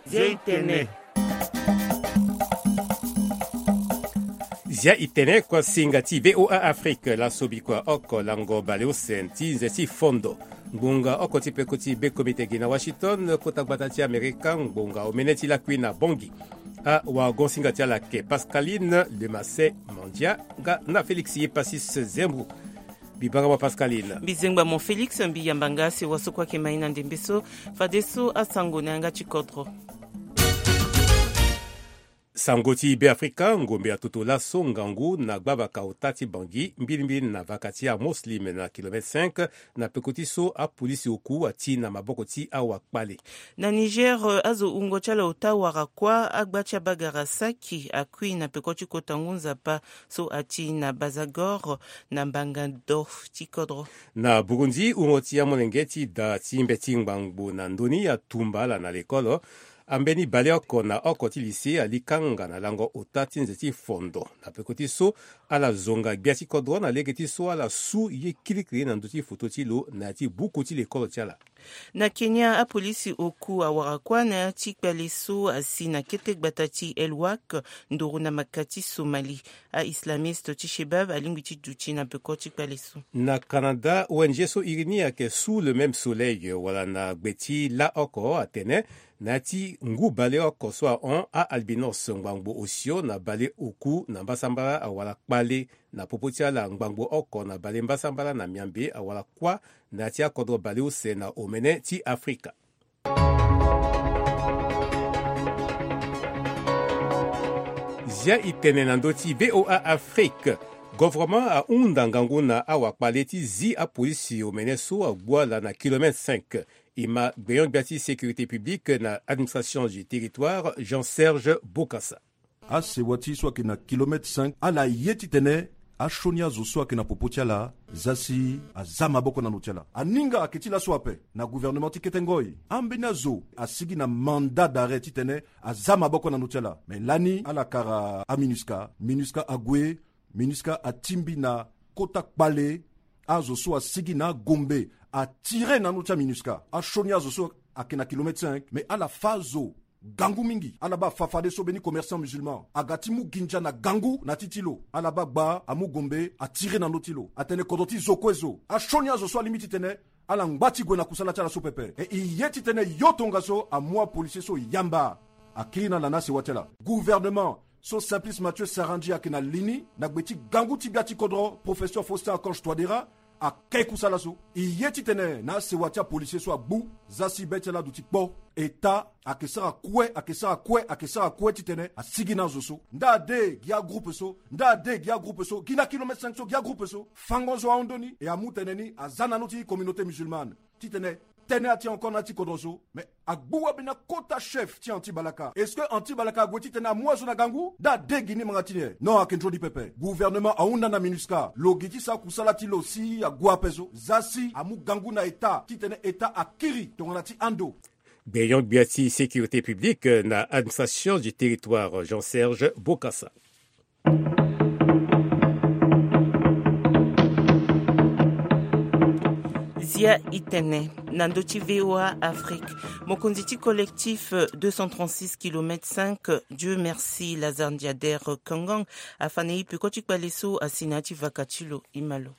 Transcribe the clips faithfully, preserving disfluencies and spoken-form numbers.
Zia i tene. Zia i tene kuasinga ti VOA Afrique. Laso bikua oko lango baleuse ti nze ti fondo. Ngbonga oko ti peko ti be komite gi na Washington, kota gbata ti Amerika, ngbonga omene ti lakui na Bangui. Awagonsinga ti ala ayeke Pascaline Lemasset Mandia nga na Félix Yepasis Zembou. Mbi banga mo Pascaline. Mbi zengba mo Félix, mbi yamba nga sewa so kue ayeke ma e na ndembe so. Fadeso asango na yanga ti kodro. Sango ti Beafrika, ngombe atoto laso ngangu na gbavaka ota ti Bangui, mbilimbili na vaka ti aMuslim na kilomètre cinq, na peko ti so apolisi oku ati na maboko ti awakpale. Na Niger, azo wungo ti ala ota wara kuâ, agba ti abagara saki akui na peko ti kota ngu nzapa so ati na Bazagor, na mbanga do ti kodro. Na Burundi, wungo ti amolenge ti da ti mbeti ngbangbo na ndoni atumba ala na lekolo. Ambeni baleoko na oko ti lycée ali kanga na lango ota ti nze ti fondo. Na peko ti so, ala zonga gbia ti kodro na lege ti so ala su ye kirikiri na ndö ti foto ti lo na ya ti buku ti lekolo ti ala. Na Kenya, apolisi oku awara kuâ na ya ti kpale so asi na kete gbata ti El Wak, nduru na maka ti Somali. A-islamiste ti Shebab alingbi ti duti na peko ti kpale so. Na Canada, O N G so iri ni ayeke Sous le même soleil, wala na gbe ti laoko atene, na ya ti ngu baleoko so ahon a-albinos ngbangbo osio na baleoku na mbasambala awala kpale, na popo ti ala ngbangbo oko na bale mbasambala na Miambe awala kuâ na ya ti akodro baleuse na omene ti Afrika. Zia i tene na ndö ti VOA Afrique. Govoroma ahunda ngangu na awakpale ti zi apolisi omene so agbu ala na kilomètre cinq. E ma gbenyo-gbia ti sécurité publique na administration du territoire, Jean-Serge Bokassa. Asewa ti so ayeke na kilomètre cinq, ala ye titene asioni azo so ayeke na popo ti ala, za si aza maboko na ndö ti ala. Aninga ayeke ti laso ape na gouvernement ti kete ngoi. Ambeni azo asigi na mandat d'arrêt titene aza maboko na ndö ti ala. Me lani ala kara aMINUSCA, MINUSCA ague, MINUSCA atingbi na kota kpale azo so asigi na agombe, atire na ndö ti aMINUSCA, asioni azo so ayeke na kilomètre cinq, me ala fâ azo gangu mingi. Ala baa fa fadeso mbeni commerçant musulman aga ti mu ginza na gangu na ti ti lo. Ala baa gba amu gombe atire na ndö ti lo. Atene kodro ti zo kue zo. Asioni azo so alingbi titene ala ngba ti gue na kusala ti ala so pepe. E e ye titene yo tongaso amu apolisier so yamba. Akiri na ala na asewa ti ala. Gouvernement so Simplice Mathieu Sarandji ayeke na li ni na gbe ti gangu ti gbia ti kodro, professeur Faustin Archange Touadéra, ake kusala so. E ye titene na asewa ti apolisier so agbu, za si be ti ala aduti kpo. État ayeke sara kue, ayeke sara kue, ayeke sara kue titene asigi na azo so. Nda ade gi agroupe so, nda ade gi agroupe so, gi na kilomètre cinq so, gi agroupe so. Fango zo ahon ndoni, e amu tene ni aza na ndö ti communauté musulmane. Titene tene ati encore na ya ti kodro so. Mais agbu wabena kota chef ti anti-balaka. Est-ce que anti-balaka ague titene amu azo na gangu? Nda ade gi ni manga ti ni e. Non, ayeke ndroni pepe. Gouvernement ahunda na MINUSCA lo gi ti sara kusala ti lo si ague ape so. Za si amu gangu na État titene État akiri tongana ti ando. Gbenyo-gbia ti sécurité publique na administration du territoire, Jean-Serge Bokassa. Zia i tene na ndö ti VOA Afrique. Mokonzi ti collectif deux cent trente-six kilomètre cinq, Dieu merci, Lazare Ndiader Kangang, afa na e peko ti kpale so asi na ya ti vaka ti lo. E ma lo.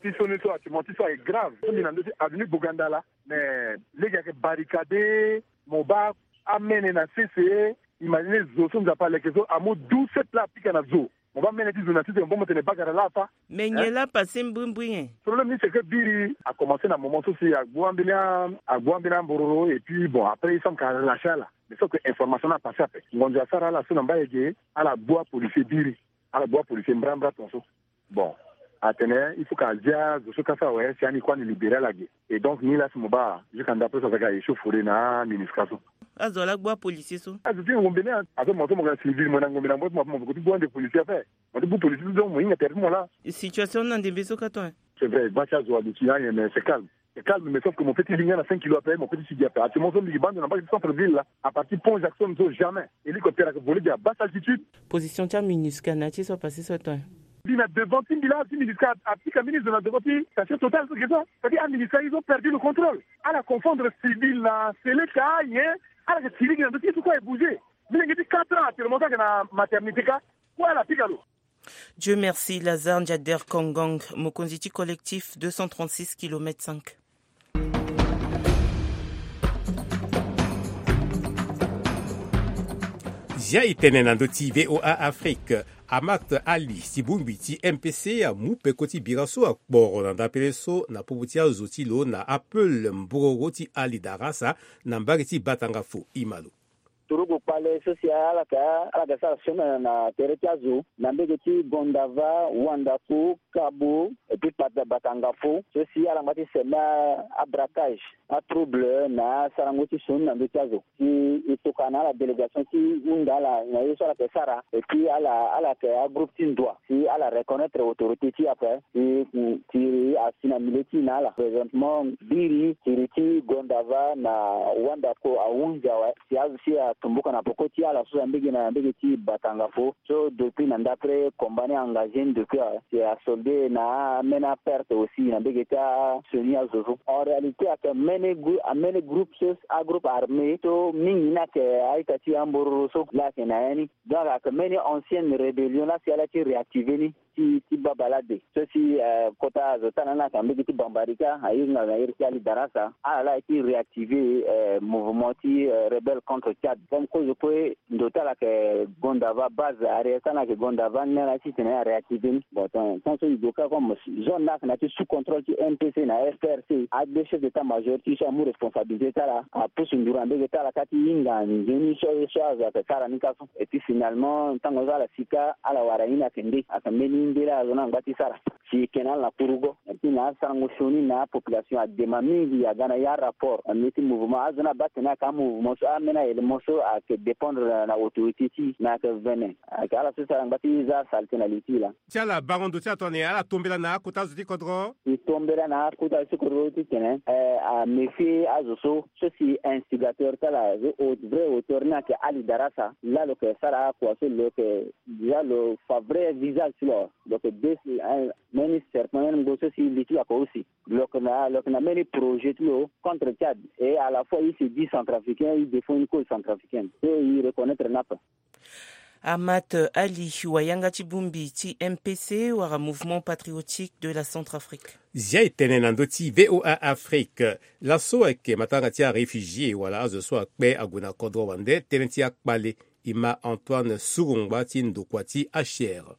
Ti sioni so, actuellement ti so ayeke grave. So mbi na ndö ti avenue Bogandala. Mais lege ayeke barricadé, mo baa amene na sese. Imagine zo so Nzapa aleke so amu douze sept laa apika na zo. Mo baa mene ti zo na sese, mo baa mo tene bagara laa afa. Mais nyen laa apase mbrimbri nyen? Problème ni c'est que biri a commencé na moment so si agbu ambeni a, agbu ambeni ambororo et puis bon, après il semble que a relâché ala. Mais sauf que information ni apase ape. Ngonzo asara ala so na Mbayege, ala gbu apolicier biri. Ala gbu apolicier mbrambra tongaso. Bon, atene il faut que azia zo so kâ so awe si ani kue ani libéré ala ge. Et donc ni laa si mo baa jusqu'à ndapre so aza ga échauffourée na MINUSCA so. Azo laa gbu apolicier so. Azo ti ngombe ni azo mo so mo ga na civil, mo na ngombe na mbote, mo peko ti gbu ande policier ape. Mo ti gbu policier so, donc mo hinga tere ti mo laa. Situation ni na ndembe so kâ tonga. C'est vrai, gba ti azo aduti na ayen, mais c'est calme. C'est calme, mais sauf que mo peut ti li nga na cinq kilos ape, mo peut ti sigi ape. Actuellement so mbi gi baa ndo na mbage ti centre ville laa, à partir pont Jackson so jamais. Hélicoptère ayeke volé gi à basse altitude. Position ti aMINUSCA na ya ti so apase so atonga. Mbi na devant ti mbi laa, ti MINUSCA apika mbeni zo na devant ti station Total so ge so. C'est-à-dire aMINUSCA, ils ont perdu le contrôle. Ala confondre civil na seleka, nyen? Ala yeke ti lege na ndö ti e so kue e bouger. Milenge ti quatre ans actuellement so ayeke na maternité kâ, kue ala pika lo. Dieu merci, Lazare Ndiader Kongong, mokonzi ti collectif deux cent trente-six kilomètres cinq. Zia e tene na ndö ti V O A Afrique. Amat Ali, si bongbi ti M P C, amu peko ti bira so akporo na ndapele so na popo ti azo ti lo na Apple Mbororo ti Ali Darasa, na mbage ti Batangafo. Imalo. Turugu kpale so si ala ka, ala ka sara sioni na tere ti azo na mbage ti Gondava, Wandako, Kabo, et puis Bata-, Batangafo, so si ala ngba ti seme a, abraquage, atrouble na asarango ti sioni na ndö ti azo. Si e tokua na ala délégation ti hunda ala na ye so ala ke sara, et puis ala, ala ke agroupe ti ndoa. Si ala reconnaître autorité ti e ape, si, si asi na milieu ti e na ala. Présentement, biri, siri ti Gondava na Wandako ahunzi awe. Si azo si atumbuka na peko ti ala so na mbage na mbage ti Batangafo. So depuis na ndapre combat ni engagé ni depuis awe. Si asolde na amene aperte aussi na mbage ti asioni azo so. En réalité, ayeke mene grou-, amene groupe so, agroupe armé so mingi ni ayeke a-ita ti ambororo so la ayeke na ya ni. Donc ayeke mene ancienne rébellion la si ala ti réactiver ni ti, ti baba lade. So si, eh, kota azo ti ala ni ayeke na mbage ti Bambarika, ahinga na iri ti Ali Darasa, ala la aye ti réactiver, eh, mouvement ti, eh, rebelle contre Tchad. Comme kozo kue ndo ti ala ayeke Gondava, base arrière ti ala ni ayeke Gondava, ni ala titene aréactiver ni. Bon, tant, tant so e zo kâ comme zone ni ayeke na ya ti sous contrôle ti M P C na F R C, agbia chef d'état-major ti e so amu responsabilité ti ala, apusu nduru na mbage ti ala kâ ti hinga nzoni so, so azo ayeke sara ni kâ so. Et puis finalement, tango so ala si kâ, ala wara ye ni ayeke nde, ayeke mbeni nde la azo ni angba ti sara. Si e yeke na ala na kurugo. Et puis na asarango sioni na apopulation adema mingi aga na ya rapport. Ameni ti mouvement, azo ni abaa tene ayeke amouvement so, ameni a-élément so ayeke dépendre na, na autorité ti e, me ayeke vene. Ayeke ala so si ala ngba ti za asalite na li ti e laa. Ti ala bango ndo ti ala tongana nyen, ala tombela na akota azo ti kodro? E tombela na akota azo ti kodro titene, eh, améfier azo so, so si instigateur ti ala, so au-, vrai auteur ni ayeke Ali Darasa, la lo yeke sara akua so lo yeke déjà lo fa vrai visage ti lo. Lo yeke de, eh, mbeni serpent, mbeni ngbo so si li ti lo ayeke aussi. Lo yeke na, lo yeke na mbeni projet ti lo contre Tchad. Et à la fois, il se dit centrafricain, il défend une cause centrafricaine. So e reconnaître ni ape. Amat Ali, wayanga ti bongbi ti M P C wala Mouvement Patriotique de la Centrafrique. Zia e tene na ndö ti V O A Afrique. Laso ayeke matanga ti aréfugié wala azo so akpe ague na kodro wande, tënë ti akpale. E ma Antoine Surungba ti ndokua ti H R.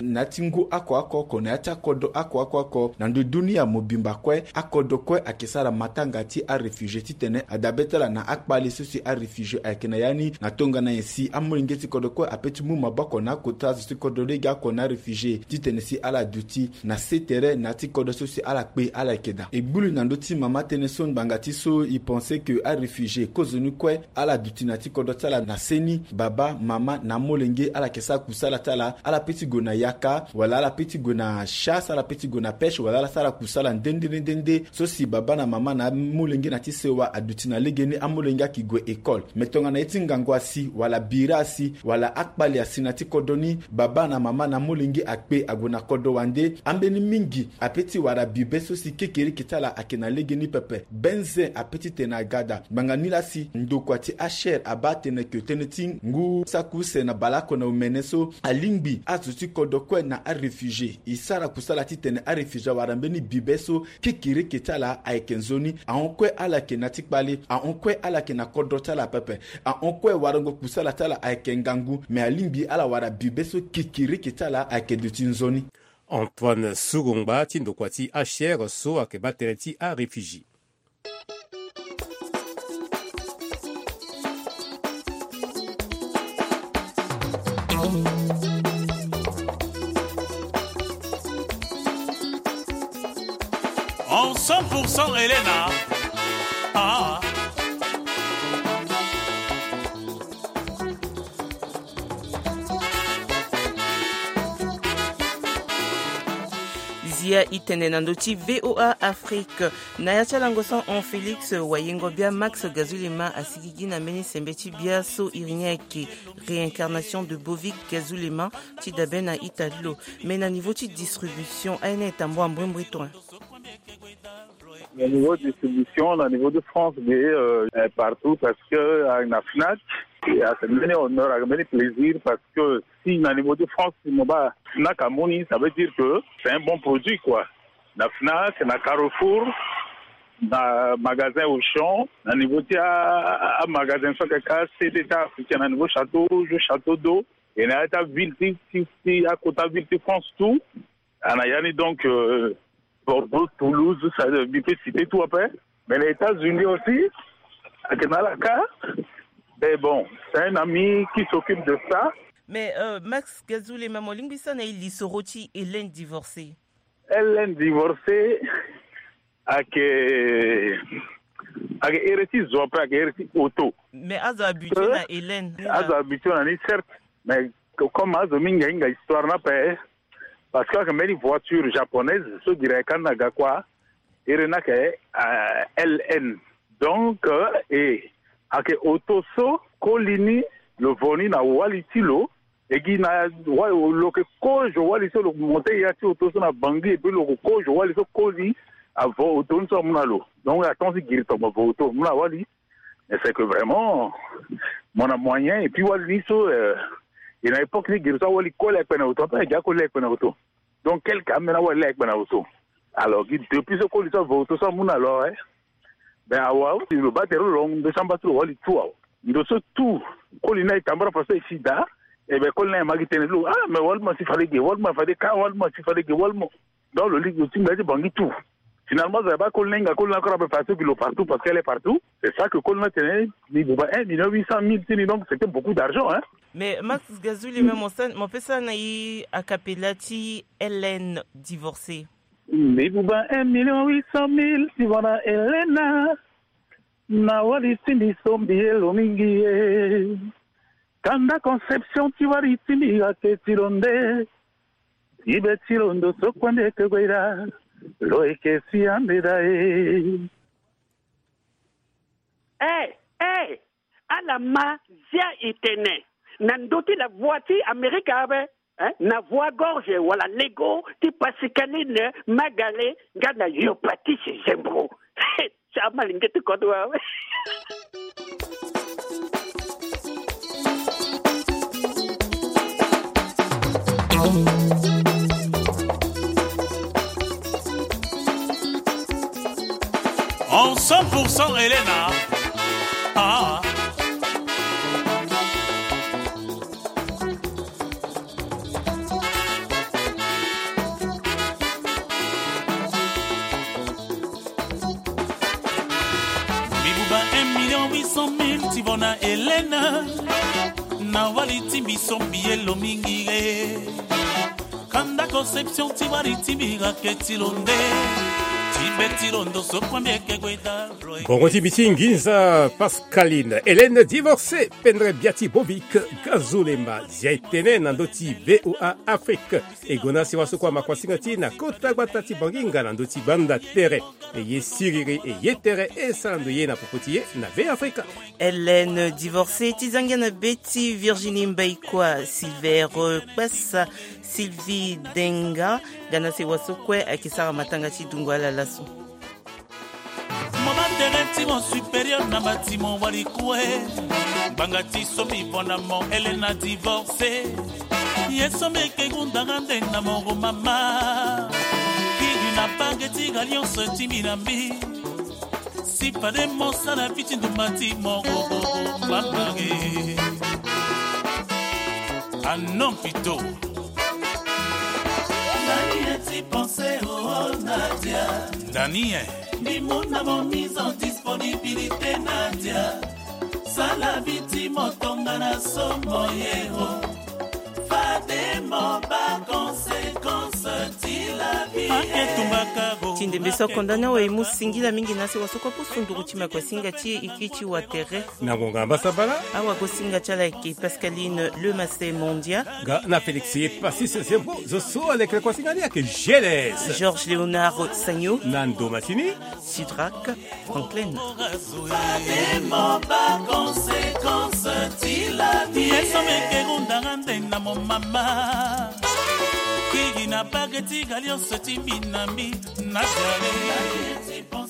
Na ya ti ngu oko oko oko, na ya ti akodro oko oko oko na ndö dunia mobimba kue, akodro kue ayeke sara matanga ti aréfugié titene adabe ti ala na akpale so si aréfugié ayeke na ya ni. Na tongana nyen si amolenge ti kodro kue ape ti mu maboko na akota zo ti kodro lege oko na aréfugié titene si ala duti na se tere na ya ti kodro so si ala kpe ala yeke daa. E gbu li na ndö ti mama tënë so ngbanga ti so e pense que aréfugié kozoni kue ala duti na ya ti kodro ti ala na seni, baba, mama na amolenge, ala yeke sara kusala ti ala, ala pe ti gue na yaka, wala ala pe ti gue na chasse, ala pe ti gue na pêche, wala ala sara kusala nde nde nde nde. So si baba na mama na amolenge na ya ti sewa aduti na legeni, amolenge ayeke gue école. Me tongana ye ti ngangu asi, wala bira asi, wala akpale asi na ya ti kodro ni, baba na mama na amolenge akpe ague na kodro wande, ambeni mingi ape ti wara bibe so si kekereke ti ala ayeke na legeni pepe. Benze ape ti tene aga daa. Ngbanga ni laa si ndokua ti H R abaa atene ke tënë ti ngu saki use na baleoko na omene so, alingbi azo ti kodro kue na aréfugié e sara kusala titene aréfugié awara mbeni bibe so kekereke ti ala ayeke nzoni. Ahon kue ala yeke na ya ti kpale, ahon kue ala yeke na kodro ti ala pepe, ahon kue warango kusala ti ala ayeke ngangu, me alingbi ala wara bibe so kekereke ti ala ayeke duti nzoni. Antoine Surungba ti ndokua ti H R so ayeke baa tënë ti aréfugié. En cent pour cent Elena. Ah. Zia e tene na ndö ti V O A Afrique. Na ya ti alango so ahon, Félix Wayengo Bia, Max Gazulema asigigi na mbeni sembe ti bia so iri ni ayeke Réincarnation de Bovic Gazulema, ti dabe na ita ti lo. Mais na niveau ti distribution, aye ni aye tamboa mbrimbri tongana. Na niveau distribution, na niveau de France, de euh, euh, partout, parce que euh, na Fnac, et à ce moment honneur, à ce plaisir, parce que si na niveau de France, si mo ba Fnac amoni, ça veut dire que c'est un bon produit, quoi. Na Fnac, na Carrefour, na magasin Auchan, na niveau ti a, a, a magasin so kaka C D T africain, na niveau Château Rouge, Château d'Eau, et na ya ti aville ti, ti, ti akota ville ti France tout. Ana yani donc euh, Bordeaux, Toulouse, ça euh, mi peut citer tout après. Mais les États-Unis aussi, avec Nalaka. Mais bon, c'est un ami qui s'occupe de ça. Mais euh, Max Gazoulema, mo lingbi sa na e lisoro ti Hélène divorcée. Hélène divorcée, ake ake ere ti zo ape, ake ere ti auto. Mais azo habitué na Hélène. Azo habitué na ni, certes, mais comme azo mingi ahinga histoire ni ape, parce que ake mbeni voiture japonaise so gira e ka ni na ga kua, ere ni ake euh, L N. Donc euh, e ake auto so koli ni, lo vo ni na wali ti lo. E gi na wa lo yeke kozo wali so, lo monte ya ti auto so na Bangui, et puis lo yeke kozo wali so koli avo auto ni so amu na lo. Donc atonga ti giri tongbo avo auto amu na wali. Mais c'est que vraiment mo na moyen, et puis wali ni so euh, e na époque ni giri so awali koli akpe na auto ape, e gi akoli akpe na auto. Donc quelque amena wali akpe na auto. Alors gi depuis so koli so avo auto so amu na lo awe. Ben awa lo baa tere lo, ndo so amba ti lo wali tout awa. Ndo so tout koli ni aye tambara faso e si daa. E ben koli ni aye ma gi tënë ti lo, ah mais wali ma si fade ge, wali ma fade ka, wali ma si fade ge, wali ma. Donc lo li lo ti ngbia ti Bangui tout. Finalement zo aye baa koli ni ahinga koli ni akora ape faso gi lo partout, parce qu'elle est partout. C'est ça que koli ni atene, mi buba un million huit cent mille ti ni, donc c'était beaucoup d'argent, hein. Mais Max Gazoulema, mo sa, mo peut sa na e a cappella ti Hélène divorcée. Mi buba un million huit cent mille ti vana Helena. Na wali ti mbi so mbi ye lo mingi ye. Kanda Conception ti wali ti mbi ake ti lo nde. Ti be ti lo ndo so kue mbi eke gue daa. Lo eke si ande daa e. Eh, eh, ala ma zia e tene na ndö ti la voix ti Amerika ape, eh, na voix gorge wala lego ti Pascaline Magale nga na Yopatisi Zembro. Ti amalenge ti kodro awe. En cent pour cent Helena. Ah. Mbi buba un million huit cent mille ti vona Helena. Na wali ti mbi so mbi ye lo mingi e. Kanda Conception ti wali ti mbi ake ti lo nde. Ti be ti lo ndo so kue mbi eke gue daa. Bongo ti mbi ti nginza Pascaline Helène divorcée, pendere bia ti Bovic Gazoulema, zia e tene na ndö ti V O A Afrique. E gonda sewa so kue ama kuasinga ti e na kota gbata ti Bangui nga na ndö ti banda tere. E ye siriri, e ye tere, e sara ndo ye na popo ti e na Be Afrika. Hélène divorcée ti za ngia na be ti Virginie Mbaïkoa, Silver Kpasa, Sylvie Denga, nga na sewa so kue ayeke sara matanga ti dungo ala laso. Mo baa tere ti mo supérieur na bâtiment wali kue. Ngbanga ti so mbi vo na mo Helena divorcée. Ye so mbi yeke gunda nga nde na mo ro mama. Kiri na bage ti alliance ti mbi na mbi. Si fade mo sara vi ti ndumba ti mo ro ro ro mama e. Ah non pito. Nani ye ti pense oh Nadia? Nani ye? Mbi mu na mo mise en disponibilité Nadia. Sala vi ti mo tongana so mo ye oh. Fade mo baa conséquence ti la vie. Ake tumbaka go. Ti ndembe so akonda ni awe e mu singila mingi na sewa so kue apusu nduru ti makuasinga ti e, e kiri ti watere. Na ngonga mbasambala. Awagosinga ti ala ayeke Pascaline Lemasé Mondia. Nga na Félix Passis Zembo, zo so aleke kuasinga ni ayeke G L S. Georges Léonard Sagno. Na ndo masini. Sidrak Franklin. Fade mo baa conséquence ti la vie. Ye so mbi yeke gunda nga nde na mo mama. Kiri na bage ti alliance ti mbi na mbi. Na jare.